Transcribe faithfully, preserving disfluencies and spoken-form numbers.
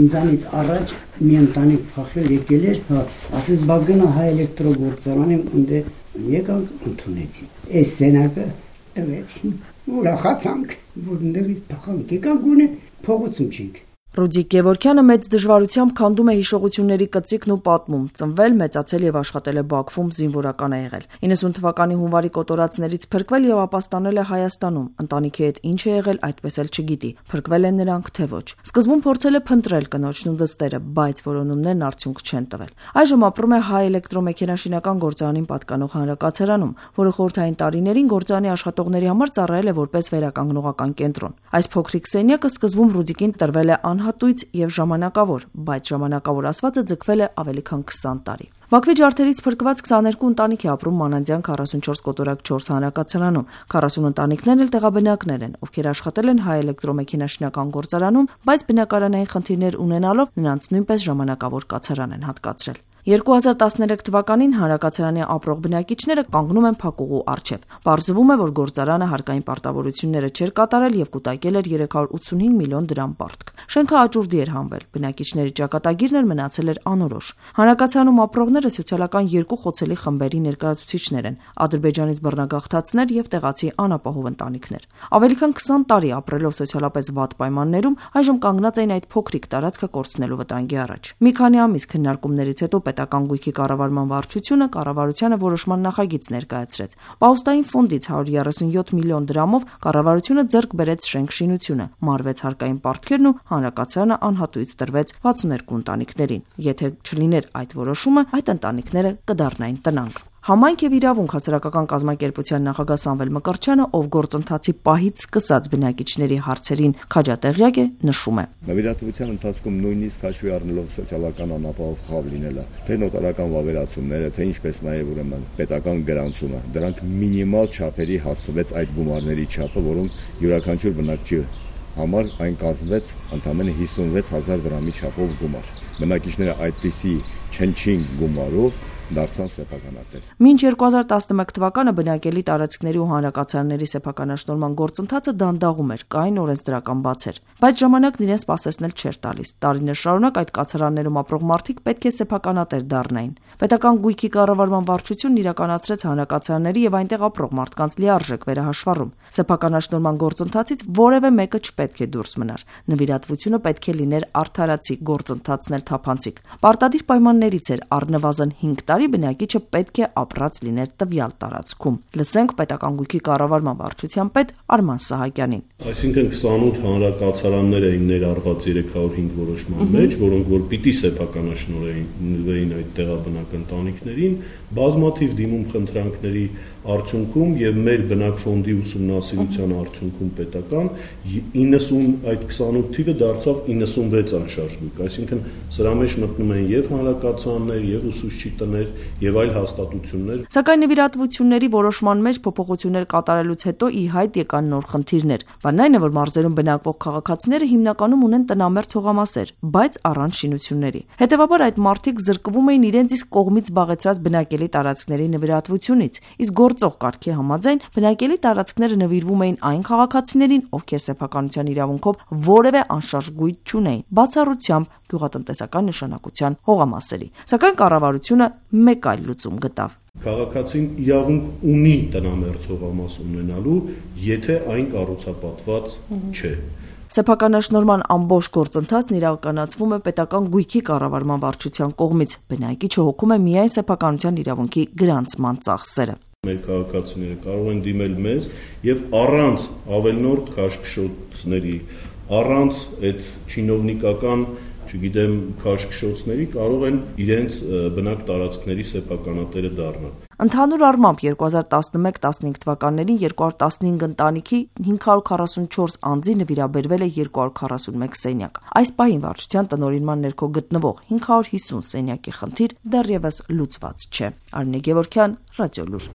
ինձանից առաջ մի ընտանիք փախել եկել էր, ասես բա գնա հայ էլեկտրոգործարան ընդ եկանք ընդունեցին։ Այս սենակը տվեցին, ուրախացանք, որ ընդդեղից փախանք, եկանք գոնե փողոցում չենք։ Ռուդիկ Գևորգյանը մեծ դժվարությամբ քանդում է հիշողությունների կծիկն ու պատմում, ծնվել, մեծացել եւ աշխատել է Բաքվում, զինվորական է եղել։ իննսուն թվականի հունվարի կոտորածներից փրկվել եւ ապաստանել է Հայաստանում։ Ընտանիքի հետ ինչ է եղել, այդպես էլ չգիտի։ Փրկվել են նրանք, թե ոչ։ Սկզբում փորձել է փնտրել կնոջն ու դստերը, բայց որոնումներն արդյունք չեն տվել։ Այժմ ապրում է Հայ էլեկտրոմեքենաշինական գործարանին պատկանող հանրակացարանում, որը խորհրդային տարիներին գործարանի աշխատողների համար ծառայել է որպես վերականգնողական կենտրոն։ Այս փոքրիկ սենյակը սկզբում Ռուդիկին տրվել է անհատույց եւ ժամանակավոր, բայց ժամանակավոր ասվածը ձգվել է ավելի քան քսան տարի։ Բաքվի ջարդերից փրկված քսաներկու ընտանիք է ապրում Մանանդյան քառասունչորս կոտորակ չորս հանրակացարանում։ քառասուն ընտանիքներն էլ տեղաբնակներ են, ովքեր աշխատել են Հայ էլեկտրոմեքենաշինական գործարանում, բայց բնակարանային խնդիրներ ունենալով նրանց նույնպես ժամանակավոր կացարան են հատկացրել։ երկու հազար տասներեք թվականին հանրակացարանի ապրող բնակիչները կանգնում են փակուղու առջև։ Պարզվում է, որ գործարանը հարկային պարտավորությունները չէր կատարել եւ կուտակել էր երեք հարյուր ութսունհինգ միլիոն դրամ պարտք։ Շենքը աճուրդի էր հանվել, բնակիչների ճակատագիրն էր մնացել էր անորոշ։ Հանրակացարանում ապրողները սոցիալական երկու խոցելի խմբերի ներկայացուցիչներ են՝ Ադրբեջանից բռնագաղթածներ եւ տեղացի անապահով ընտանիքներ։ Ավելի քան քսան տարի ապրելով սոցիալապես վատ պայմաններում, այժմ կանգնած էին այդ փոքրիկ տարածքը կորցնելու վտանգի առաջ։ Մի քանի ամիս քննարկումներից հետո պետական գույքի կառավարման վարչությունը կառավարությանը որոշման նախագիծ ներկայացրեց։ Պաուստային ֆոնդից հարյուր երեսունյոթ միլիոն դրամով կառավարությունը ձեռք բերեց շենք շինությունը, մարվեց հարկային պարտքերն ու հանրակացարանը անհատույց տրվեց վաթսուններկու ընտանիքներին։ Եթե չլիներ այդ որոշումը, այդ ընտանիքները կդառնային տնանկ։ Համայնք եւ իրավունք հասարակական կազմակերպության նախագահ Սամվել Մկրտչյանը, ով գործընթացի պահից սկսած բնակիչների հարցերին քաջատեղյակ է, նշում է. Նվիրատվության ընթացքում նույնիսկ հաշվի առնելով սոցիալական անապահով խավ լինելը, թե նոտարական վավերացումները, թե ինչպես նաեւ ուրեմն պետական գրանցումը, դրանք մինիմալ չափերի հասցվեց այդ գումարների չափը, որոնք յուրաքանչյուր բնակչի համար այն կազմվեց ընդամենը հիսունվեց հազար դրամի չափով գումար։ Բնակիչները այդպիսի չնչին գումարով դարձան սեփականատեր։ Մինչ երկու հազար տասնմեկ թվականը բնակելի տարածքների ու հանրակացարանների սեփականաշնորհման գործընթացը դանդաղում էր, կային օրենսդրական բացեր, բայց ժամանակն իրեն սպասեցնել չէր տալիս։ Տարիներ շարունակ այդ կացարաններում ապրող մարդիկ պետք է սեփականատեր դառնային։ Պետական գույքի կառավարման վարչությունն իրականացրեց հանրակացարանների եւ այնտեղ ապրող մարդկանց լիարժեք վերահաշվառում։ Սեփականաշնորհման գործընթացից որևէ մեկը չպետք է դուրս մնար։ Նվիրատվությունը պետք է լիներ արդարացի, գործընթացն էլ թափանցիկ։ Պարտադիր պայմաններից էր առնվազն հինգ տարի բնակիչը պետք է ապրած լիներ տվյալ տարածքում։ Լսենք պետական գույքի կառավարման վարչության պետ Արման Սահակյանին։ Այսինքն քսանութ հանրակացարաններ էին ներառված երեք հարյուր հինգ որոշման մեջ, որոնք որ պիտի սեփականաշնորհվեին այդ տեղաբնակ ընտանիքներին, բազմաթիվ դիմում խնդրանքների արդյունքում եւ մեր բնակֆոնդի ուսումնասիրության արդյունքում պետական իննսուն այդ քսանութ թիվը դարձավ իննսունվեց անշարժ գույք, այսինքն սրա մեջ մտնում են եւ հանրակացարաններ, եւ ուսուցչի տներ եւ այլ հաստատություններ։ Սակայն նվիրատվությունների որոշման մեջ փոփոխություններ կատարելուց հետո ի հայտ եկան նոր խնդիրներ։ Բանն այն է, որ մարզերում բնակվող քաղաքացիները հիմնականում ունեն տնամերձ հողամասեր, բայց առանց շինությունների։ Հետևաբար այդ մարդիկ զրկվում էին իրենց իսկ կողմից զբաղեցրած բնակելի տարածքների նվիրատվությունից, իսկ գործող կարգի համաձայն բնակելի տարածքները նվիրվում էին այն քաղաքացիներին, ովքեր սեփականության իրավունքով որևէ անշարժ գույք չունեին, բացառությամբ գյուղատնտեսական նշանակության հողամասերի։ Սակայն կառավարությունը մեկ այլ լուծում գտավ։ Քաղաքացին իրավունք ունի տնամերձ հողամաս ունենալու, եթե այն կառուցապատված չէ։ Սեփականաշնորհման ամբողջ գործընթացն իրականացվում է պետական գույքի կառավարման վարչության կողմից։ Բնակիչը հոգում է միայն սեփականության իրավունքի գրանցման ծախսերը։ Մեր քաղաքացիները կարող են դիմել մեզ եւ առանց ավելնորդ քաշքշոցների, առանց այդ չինովնիկական, չգիտեմ, քաշքշոցների կարող են իրենց բնակ տարածքների սեփականատերը դառնալ։ Ընդհանուր առմամբ երկու հազար տասնմեկ տասնհինգ թվականներին երկու հարյուր տասնհինգ ընտանիքի հինգ հարյուր քառասունչորս անձի նվիրաբերվել է երկու հարյուր քառասունմեկ սենյակ։ Այս պահին վարչության տնօրինման ներքո գտնվող հինգ հարյուր հիսուն սենյակի խնդիր դեռևս լուծված չէ։ Արմինե Գևորգյան, Ռադիոլուր։